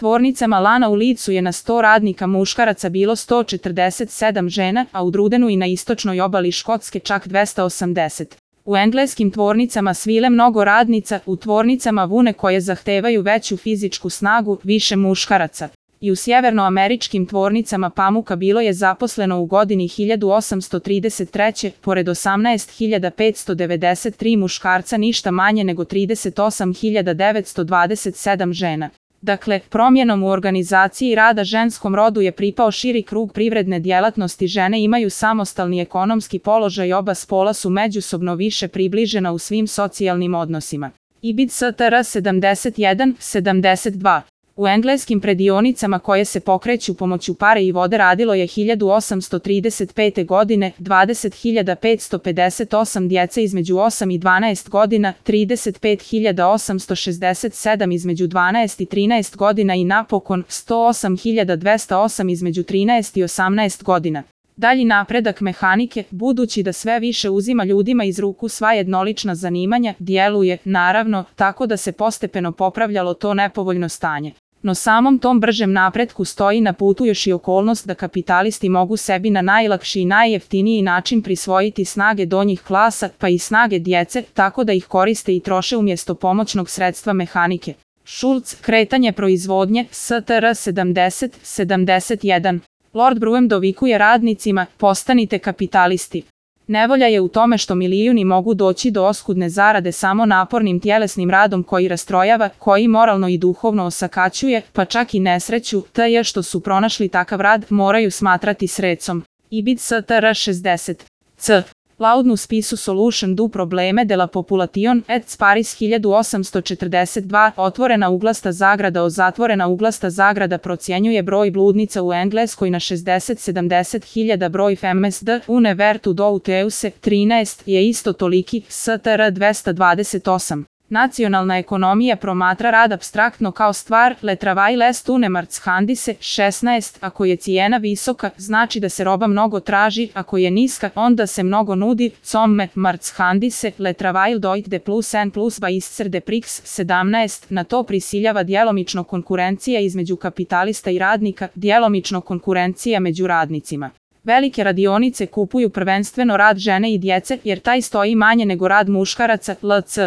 Tvornicama lana u Licu je na 100 radnika muškaraca bilo 147 žena, a u Drudenu i na istočnoj obali Škotske čak 280. U engleskim tvornicama svile mnogo radnica, u tvornicama vune koje zahtevaju veću fizičku snagu, više muškaraca. I u sjevernoameričkim tvornicama pamuka bilo je zaposleno u godini 1833. pored 18.593 muškarca ništa manje nego 38.927 žena. Dakle, promjenom u organizaciji rada ženskom rodu je pripao širi krug privredne djelatnosti, žene imaju samostalni ekonomski položaj, oba spola su međusobno više približena u svim socijalnim odnosima. Ibid Str 71-72. U engleskim predionicama koje se pokreću pomoću pare i vode radilo je 1835. godine 20.558 djece između 8 i 12 godina, 35.867 između 12 i 13 godina i napokon 108.208 između 13 i 18 godina. Dalji napredak mehanike, budući da sve više uzima ljudima iz ruku sva jednolična zanimanja, djeluje, naravno, tako da se postepeno popravljalo to nepovoljno stanje. No samom tom bržem napretku stoji na putu još i okolnost da kapitalisti mogu sebi na najlakši i najjeftiniji način prisvojiti snage donjih klasa, pa i snage djece, tako da ih koriste i troše umjesto pomoćnog sredstva mehanike. Schultz, kretanje proizvodnje, Str 70-71. Lord Brougham dovikuje radnicima, postanite kapitalisti. Nevolja je u tome što milijuni mogu doći do oskudne zarade samo napornim tjelesnim radom koji rastrojava, koji moralno i duhovno osakaćuje, pa čak i nesreću, te što su pronašli takav rad, moraju smatrati srecom. Ibid Str 60. C. Laudnu spisu solution du probleme de la population et Paris 1842, otvorena uglasta zagrada o zatvorena uglasta zagrada procjenjuje broj bludnica u Engleskoj na 60-70 hiljada, broj femmes de une vertu douteuse 13 je isto toliki, Str 228. Nacionalna ekonomija promatra rad apstraktno kao stvar, le travail est une marchandise 16, ako je cijena visoka, znači da se roba mnogo traži, ako je niska, onda se mnogo nudi, comme marchandise, le travail doit de plus en plus baisser de prix 17, na to prisiljava djelomično konkurencija između kapitalista i radnika, djelomično konkurencija među radnicima. Velike radionice kupuju prvenstveno rad žene i djece, jer taj stoji manje nego rad muškaraca, lc.